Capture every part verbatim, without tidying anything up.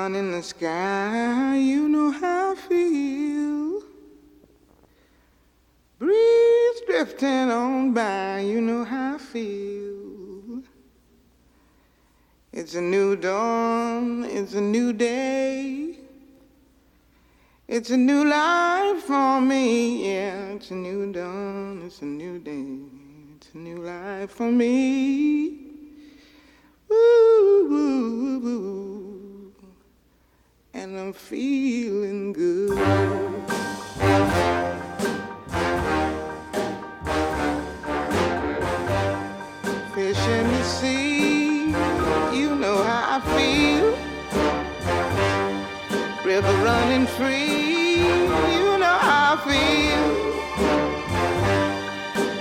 sun in the sky, you know how I feel. Breeze drifting on by, you know how I feel. It's a new dawn, it's a new day. It's a new life for me, yeah. It's a new dawn, it's a new day. It's a new life for me. Woo, woo, woo, woo. And I'm feeling good. Fish in the sea, you know how I feel. River running free, you know how I feel.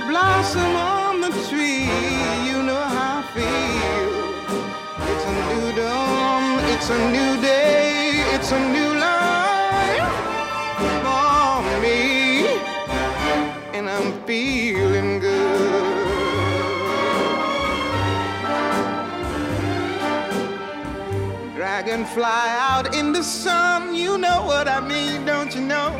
Blossom on the tree, you know how I feel. It's a new dawn, it's a new day, it's a new life for me, and I'm feeling good. Dragonfly out in the sun, you know what I mean, don't you know?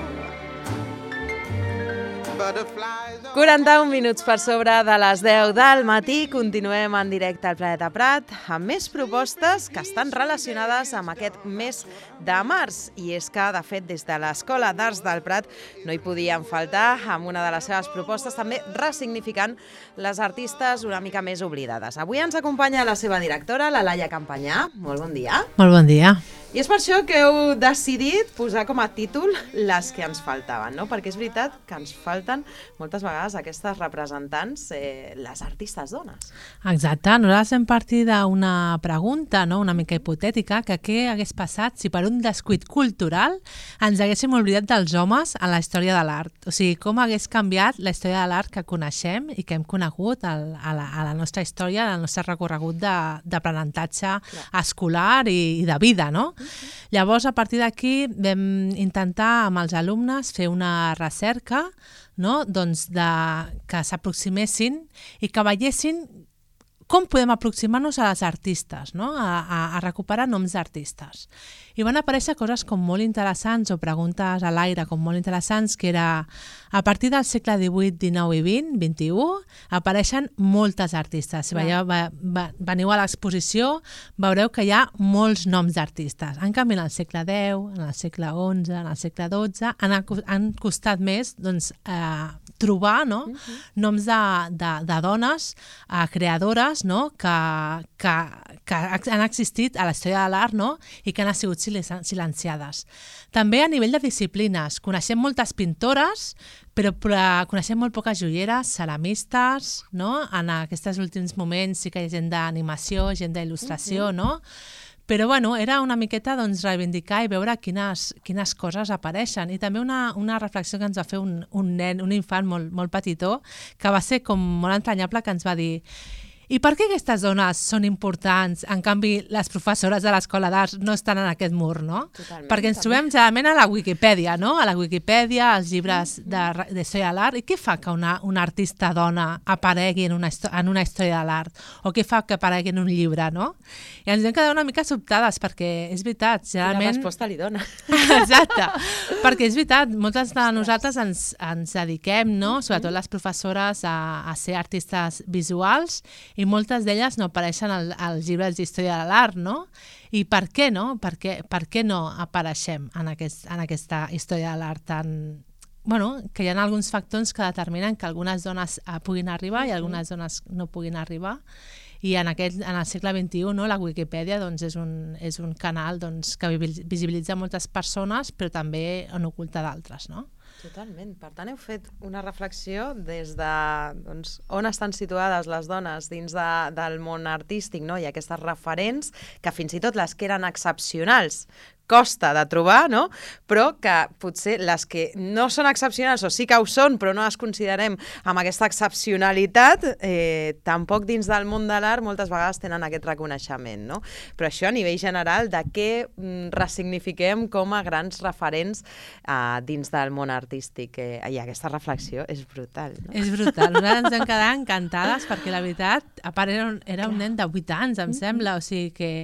quaranta-un minuts per sobre de les deu del matí, continuem en directe al Planeta Prat amb més propostes que estan relacionades amb aquest mes de març. I és que, de fet, des de l'Escola d'Arts del Prat no hi podien faltar amb una de les seves propostes, també ressignificant les artistes una mica més oblidades. Avui ens acompanya la seva directora, la Laia Campanyà. Molt bon dia. Molt bon dia. I és per això que heu decidit posar com a títol les que ens faltaven, no? Perquè és veritat que ens falten moltes vegades aquestes representants, eh, les artistes dones. Exacte. Nosaltres hem partit d'una pregunta, no?, una mica hipotètica, que què hagués passat si per un descuit cultural ens haguéssim oblidat dels homes en la història de l'art. O sigui, com hagués canviat la història de l'art que coneixem i que hem conegut al, a, la, a la nostra història, al nostre recorregut d'aprenentatge escolar i, i de vida, no? Llavors, a partir d'aquí vam intentar amb els alumnes fer una recerca, no?, doncs de, que s'aproximessin i que veiessin com podem aproximar-nos a les artistes, no?, a, a, a recuperar noms d'artistes. I van aparèixer coses com molt interessants o preguntes a l'aire com molt interessants, que era a partir del segle divuit, dinou i vint, vint-i-u, apareixen moltes artistes. Si veieu, va, va, veniu a l'exposició, veureu que hi ha molts noms d'artistes. En canvi, en el segle deu, en el segle onze, en el segle dotze, han, han costat més, doncs, eh, trobar, no?, uh-huh. noms de, de, de dones eh, creadores, no?, que, que, que han existit a la història de l'art, no?, i que han sigut silenciades. També a nivell de disciplines. Coneixem moltes pintores, però, però coneixem molt poques joieres, ceramistes, no?, en aquests últims moments sí que hi ha gent d'animació, gent d'il·lustració, uh-huh. no?, però bueno, era una miqueta doncs, reivindicar i veure quines, quines coses apareixen. I també una, una reflexió que ens va fer un, un nen, un infant molt, molt petitó, que va ser com molt entranyable, que ens va dir: i per què aquestes dones són importants? En canvi, les professores de l'Escola d'Arts no estan en aquest mur, no? Totalment, perquè ens també. trobem generalment a la Wikipedia, no? A la Wikipedia, als llibres de, de història de l'art. I què fa que una, una artista dona aparegui en una, en una història de l'art? O què fa que aparegui en un llibre, no? I ens vam quedar una mica sobtades, perquè és veritat, generalment... La resposta li dona. Exacte, perquè és veritat, moltes de nosaltres ens, ens dediquem, no?, sobretot les professores, a, a ser artistes visuals, i moltes d'elles no apareixen al, als llibres d'història de l'art, no? I per què no? Per què, per què no apareixem en, aquest, en aquesta història de l'art tan... Bueno, que hi ha alguns factors que determinen que algunes dones uh, puguin arribar i algunes dones no puguin arribar. I en, aquest, en el segle vint-i-u, no, la Wikipedia doncs, és, un, és un canal doncs, que visibilitza moltes persones, però també en oculta d'altres, no? Totalment. Per tant, heu fet una reflexió des de doncs, on estan situades les dones dins de, del món artístic, no? I aquestes referents, que fins i tot les que eren excepcionals costa de trobar, no? Però que potser les que no són excepcionals, o sí que ho són, però no les considerem amb aquesta excepcionalitat, eh, tampoc dins del món de l'art moltes vegades tenen aquest reconeixement, no? Però això a nivell general de què mm, ressignifiquem com a grans referents eh, dins del món artístic. Eh, I aquesta reflexió és brutal, no? És brutal. Nosaltres ens hem quedat encantades perquè la veritat, a part era un, era un nen de vuit anys, em sembla, o sigui que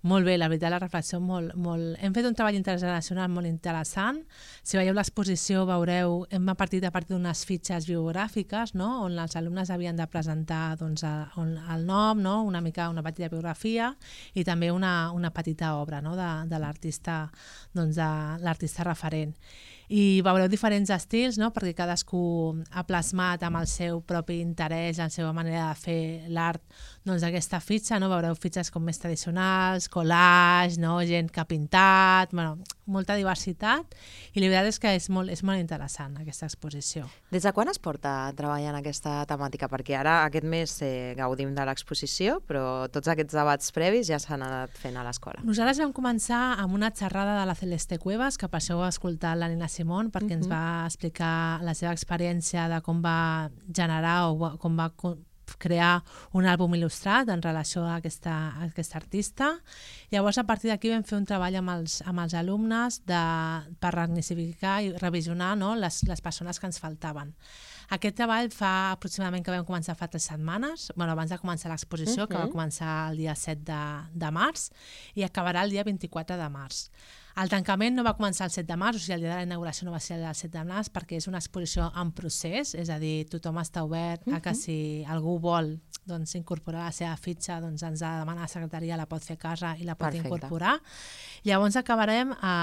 Molt bé, la veritat, la reflexió molt, molt... Hem fet un treball intergeneracional molt interessant. Si veieu l'exposició, veureu, hem partit a partir d'unes fitxes biogràfiques, no?, on els alumnes havien de presentar doncs, el, el nom, no?, una mica una petita biografia i també una, una petita obra, no?, de, de l'artista, doncs, de l'artista referent. I veureu diferents estils, no?, perquè cadascú ha plasmat amb el seu propi interès, la seva manera de fer l'art, doncs aquesta fitxa, no? Veureu fitxes com més tradicionals, collage, no? Gent que ha pintat, bueno, molta diversitat, i la veritat és que és molt, és molt interessant aquesta exposició. Des de quan es porta treballant aquesta temàtica? Perquè ara aquest mes eh, gaudim de l'exposició, però tots aquests debats previs ja s'han anat fent a l'escola. Nosaltres vam començar amb una xerrada de la Celeste Cuevas, que per això heu escoltat la Nina Simón, perquè uh-huh. ens va explicar la seva experiència de com va generar o com va crear un àlbum il·lustrat en relació a aquesta, a aquesta artista. Llavors, a partir d'aquí vam fer un treball amb els, amb els alumnes de, per resignificar i revisionar, no?, les, les persones que ens faltaven. Aquest treball fa aproximadament que vam començar fa tres setmanes, bueno, abans de començar l'exposició, uh-huh. que va començar el dia set de, de març i acabarà el dia vint-i-quatre de març. El tancament no va començar el set de març, o sigui, el dia de la inauguració no va ser el set de març, perquè és una exposició en procés, és a dir, tothom està obert uh-huh. a que si algú vol doncs, incorporar la seva fitxa, doncs ens ha de demanar a la secretaria, la pot fer a casa i la pot Perfecte. Incorporar. Llavors acabarem, a,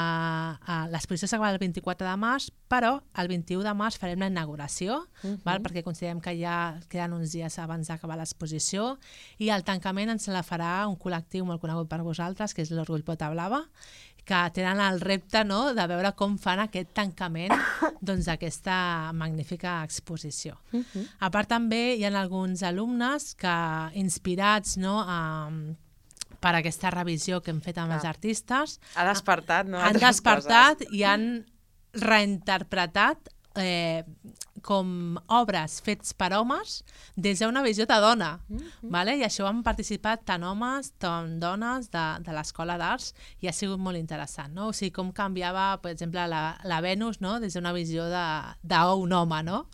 a, l'exposició s'acabarà el vint-i-quatre de març, però el vint-i-u de març farem la inauguració, uh-huh. val? Perquè considerem que ja queden uns dies abans d'acabar l'exposició, i el tancament ens la farà un col·lectiu molt conegut per vosaltres, que és l'Orgull Pota Blava, que tenen el repte, no?, de veure com fan aquest tancament doncs, d'aquesta magnífica exposició. Uh-huh. A part també hi ha alguns alumnes que, inspirats, no?, a, per aquesta revisió que hem fet amb Clar. Els artistes, ha despertat, no? han despertat coses. I han reinterpretat eh, com obres fets per homes des d'una visió de dona. Mm-hmm. Vale? I això han participat tant homes tant dones de, de l'Escola d'Arts i ha sigut molt interessant. No? O sigui, com canviava, per exemple, la, la Venus, no? Des d'una visió d'un home. No?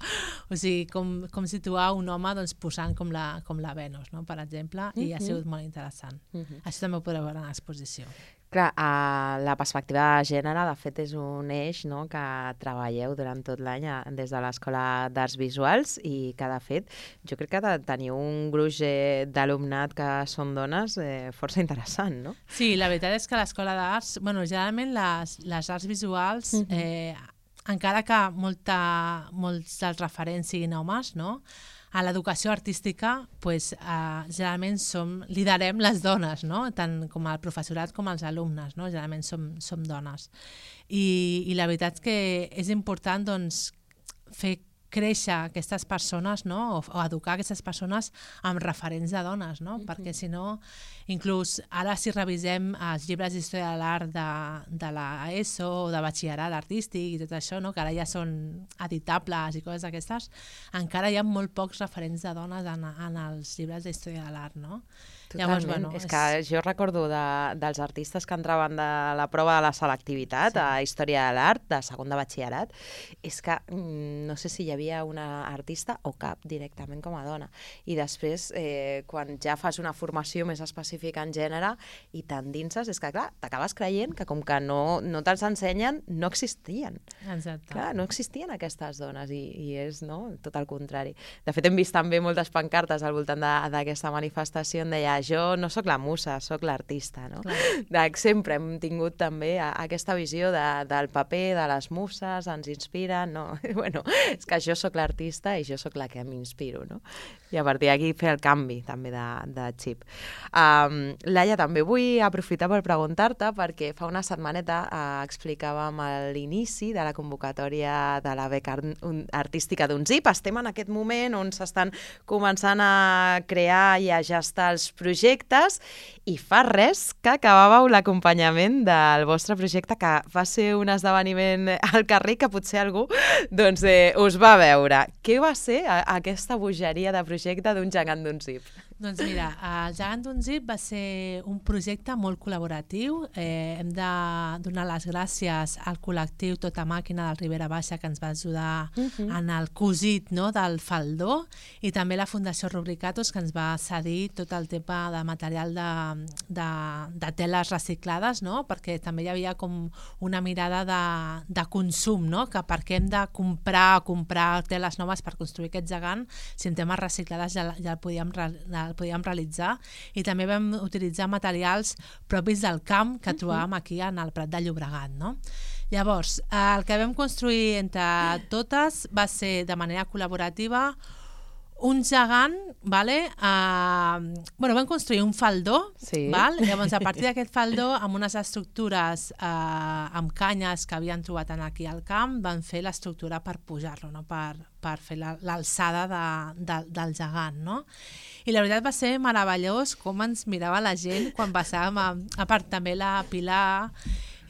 O sigui, com, com situar un home doncs, posant com la, com la Venus, no? Per exemple, mm-hmm. i ha sigut molt interessant. Mm-hmm. Això també ho podreu veure en l'exposició. Clar, uh, la perspectiva de gènere, de fet, és un eix, no?, que treballeu durant tot l'any des de l'Escola d'Arts Visuals i que, de fet, jo crec que teniu un gruix eh, d'alumnat que són dones eh, força interessant, no? Sí, la veritat és que l'Escola d'Arts, bueno, generalment les, les arts visuals, mm-hmm. eh, encara que molta, molts dels referents siguin homes, no?, a l'educació artística, pues, eh, generalment som, liderem les dones, no? Tant com el professorat com els alumnes, no? Generalment som, som dones. I, I la veritat és que és important doncs, fer créixer aquestes persones, no? o, o educar aquestes persones amb referents de dones, no? Mm-hmm. Perquè si no, inclús ara si revisem els llibres d'història de l'art de, de l'ESO o de batxillerat artístic i tot això, no? Que ara ja són editables i coses d'aquestes, encara hi ha molt pocs referents de dones en, en els llibres d'història de l'art, no? Totalment. Llavors, bueno, és, és que jo recordo de, dels artistes que entraven de la prova de la selectivitat, sí. a Història de l'Art, de segon de batxillerat, és que mm, no sé si hi havia una artista o cap directament com a dona. I després, eh, quan ja fas una formació més específica en gènere i t'endinses, és que, clar, t'acabes creient que com que no, no te'ls ensenyen, no existien. Exacte. Clar, no existien aquestes dones i, i és no, tot el contrari. De fet, hem vist també moltes pancartes al voltant d'aquesta manifestació on deia jo no sóc la musa, sóc l'artista, no? De, sempre hem tingut també a, aquesta visió de, del paper, de les muses, ens inspiren, no? Bueno, és que jo sóc l'artista i jo sóc la que m'inspiro, no? I a partir d'aquí fer el canvi també de, de xip. Um, Laia, també vull aprofitar per preguntar-te perquè fa una setmaneta uh, explicàvem l'inici de la convocatòria de la beca artística d'UNZIP. Estem en aquest moment on s'estan començant a crear i a gestar els projectes i fa res que acabàveu l'acompanyament del vostre projecte, que va ser un esdeveniment al carrer que potser algú doncs, eh, us va veure. Què va ser a, aquesta bogeria de projecte d'un gegant d'UNZIP? Doncs mira, el Gegant d'un Zip va ser un projecte molt col·laboratiu. Eh, hem de donar les gràcies al col·lectiu Tota Màquina del Ribera Baixa, que ens va ajudar uh-huh. en el cosit, no, del faldó, i també la Fundació Rubricatos, que ens va cedir tot el tema de material de, de, de teles reciclades, no? Perquè també hi havia com una mirada de, de consum, no? Que per què hem de comprar comprar teles noves per construir aquest gegant si en temes reciclades ja, ja el podíem el podíem realitzar, i també vam utilitzar materials propis del camp que trobàvem aquí en el Prat de Llobregat, no? Llavors, el que vam construir entre totes va ser de manera col·laborativa un gegant, vale? Uh, bueno, vam construir un faldó, sí. val? Llavors, a partir d'aquest faldó, amb unes estructures uh, amb canyes que havien trobat aquí al camp, van fer l'estructura per pujar-lo, no? per, per fer l'alçada de, de, del gegant, no? I la veritat va ser meravellós com ens mirava la gent quan passàvem, a, a part també la Pilar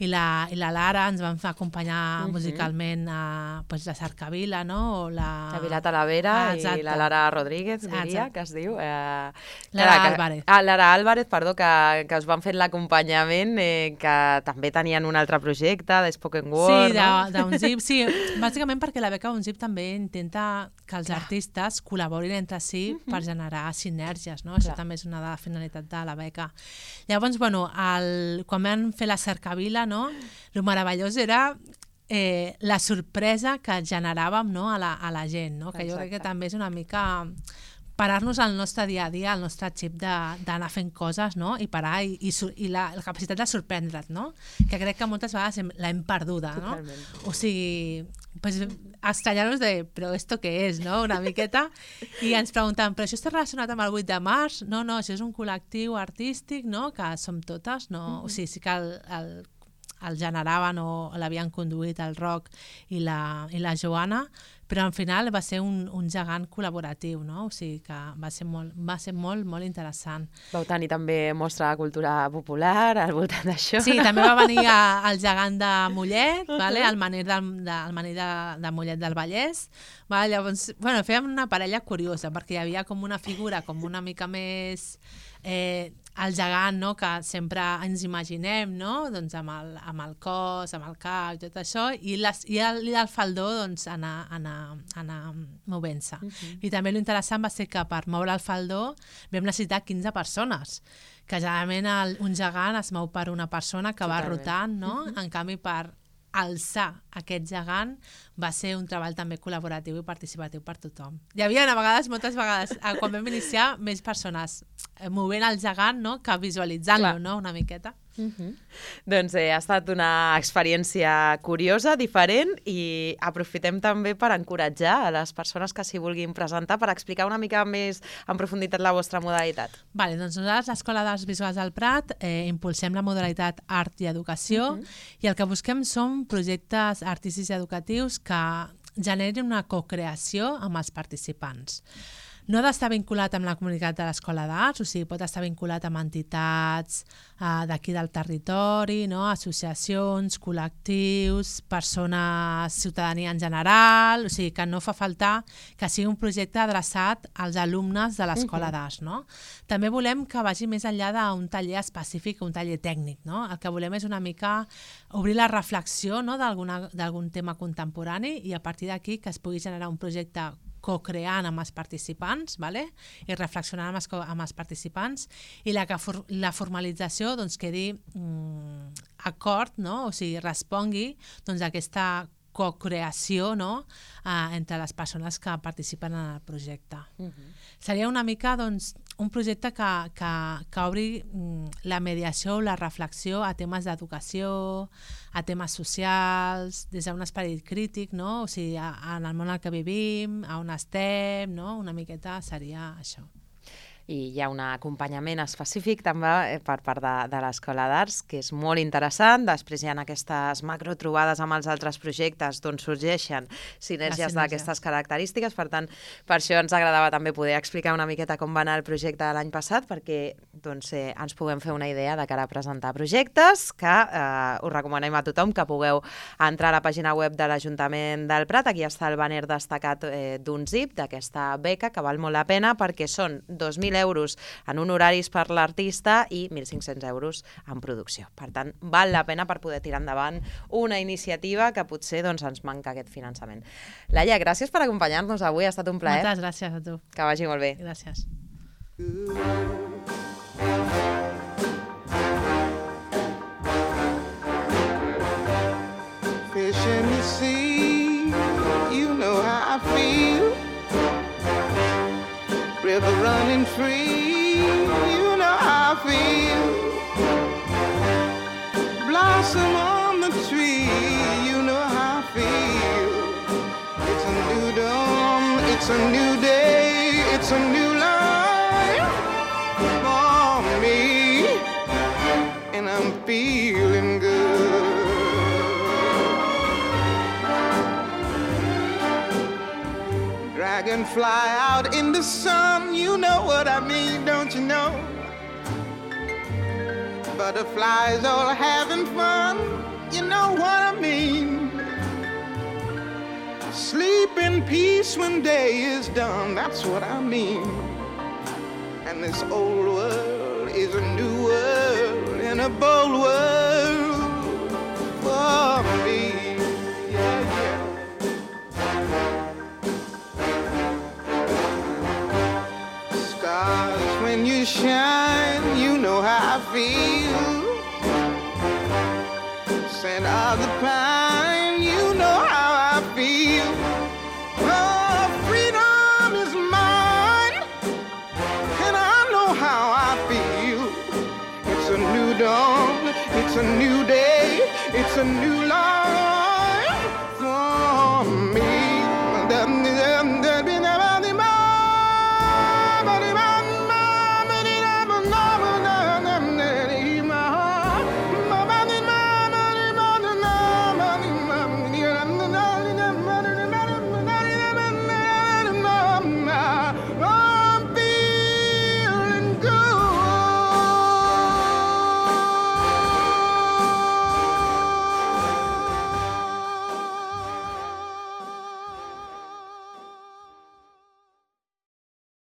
i la, i la Lara ens van acompanyar uh-huh. musicalment a pues, la Cercavila, no? O la... La Vila Talavera ah, i la Lara Rodríguez, diria, exacte. que es diu. Eh, Lara que, Álvarez. Ah, Lara Álvarez, perdó, que, que us van fer l'acompanyament, eh, que també tenien un altre projecte, de Spoken Word, sí, no? Sí, d'Unzip, sí. Bàsicament perquè la beca Unzip també intenta que els Clar. artistes col·laborin entre si uh-huh. per generar sinergies, no? Això Clar. també és una de les finalitats de la beca. Llavors, bueno, el, quan vam fer la Cercavila, no? Lo meravellós era eh, la sorpresa que generàvem, no? a, la, a la gent, no? Que Exacte. jo crec que també és una mica parar-nos al nostre dia a dia, al nostre xip d'anar fent coses, no? I parar i, i, i la, la capacitat de sorprendre't, no? Que crec que moltes vegades l'hem perduda, no? Totalment. O sigui, pues, estranyar-nos de, però esto què és, no? Una miqueta. I ens preguntaven, però això està relacionat amb el vuit de març? No, no, això és un col·lectiu artístic, no? Que som totes, no? Mm-hmm. O sigui, sí que el, el el generaven o l'havien conduït el Roc i la, i la Joana, però al final va ser un, un gegant col·laboratiu, no? O sigui que va ser molt, va ser molt, molt interessant. Vau tenir també mostra de cultura popular al voltant d'això. Sí, també va venir a, el gegant de Mollet, vale? el manir, del, de, el manir de, de Mollet del Vallès. Vale? Llavors, bueno, fèiem una parella curiosa, perquè hi havia com una figura com una mica més... Eh, el gegant, no? Que sempre ens imaginem, no? Doncs amb el, amb el cos, amb el cap i tot això, i, les, i, el, i el faldó doncs, anar, anar, anar movent-se. Uh-huh. I també l'interessant va ser que per moure el faldó vam necessitar quinze persones, que generalment el, un gegant es mou per una persona que Totalment. va rotant, no? Uh-huh. En canvi, per alçar aquest gegant va ser un treball també col·laboratiu i participatiu per tothom. Hi havia a vegades, moltes vegades, quan vam iniciar, més persones movent el gegant, no?, que visualitzant-lo, no?, una miqueta. Uh-huh. Doncs eh, ha estat una experiència curiosa, diferent, i aprofitem també per encoratjar a les persones que s'hi vulguin presentar per explicar una mica més en profunditat la vostra modalitat. Vale, doncs nosaltres, l'Escola d'Arts Visuals del Prat, eh, impulsem la modalitat Art i Educació, uh-huh. i el que busquem són projectes artístics i educatius que generin una cocreació amb els participants. No ha d'estar vinculat amb la comunitat de l'Escola d'Arts, o sigui, pot estar vinculat amb entitats eh, d'aquí del territori, no? Associacions, col·lectius, persones, ciutadania en general, o sigui, que no fa falta que sigui un projecte adreçat als alumnes de l'Escola uh-huh. d'Arts, no? També volem que vagi més enllà d'un taller específic, un taller tècnic, no? El que volem és una mica obrir la reflexió, no?, d'algun tema contemporani, i a partir d'aquí que es pugui generar un projecte co-creant amb els participants, vale? I reflexionant amb els, amb els participants, i la, que for, la formalització doncs, quedi mm, acord, no? O sigui, respongui doncs, a aquesta co-creació, no?, eh, entre les persones que participen en el projecte. Uh-huh. Seria una mica doncs, un projecte que, que, que obri mm, la mediació o la reflexió a temes d'educació, a temes socials, des d'un esperit crític, no? O sigui, a, en el món en què vivim, a on estem, no? Una miqueta seria això. I hi ha un acompanyament específic també per part de, de l'Escola d'Arts, que és molt interessant. Després hi ha aquestes macrotrobades amb els altres projectes d'on sorgeixen sinergies d'aquestes característiques. Per tant, per això ens agradava també poder explicar una miqueta com va anar el projecte de l'any passat, perquè doncs, eh, ens puguem fer una idea de cara a presentar projectes, que eh, us recomanem a tothom que pugueu entrar a la pàgina web de l'Ajuntament del Prat. Aquí està el banner destacat eh, d'Unzip, d'aquesta beca, que val molt la pena, perquè són dos mil mil euros en honoraris per l'artista i mil cinc-cents euros en producció. Per tant, val la pena per poder tirar endavant una iniciativa que potser doncs, ens manca aquest finançament. Laia, gràcies per acompanyar-nos avui, ha estat un plaer. Moltes gràcies a tu. Que vagi molt bé. Gràcies. Fish in the sea, you know how I feel. River running free, you know how I feel. Blossom on the tree, you know how I feel. It's a new dawn, it's a new day, it's a new life for me, and I'm feeling good. Dragonfly out in the sun, you know what I mean, don't you know? Butterflies all having fun, you know what I mean. Sleep in peace when day is done, that's what I mean. And this old world is a new world and a bold world for me. Yeah, yeah. Stars, when you shine, you know how I feel. Scent of the pine, you know how I feel. Oh, freedom is mine, and I know how I feel. It's a new dawn, it's a new day, it's a new life.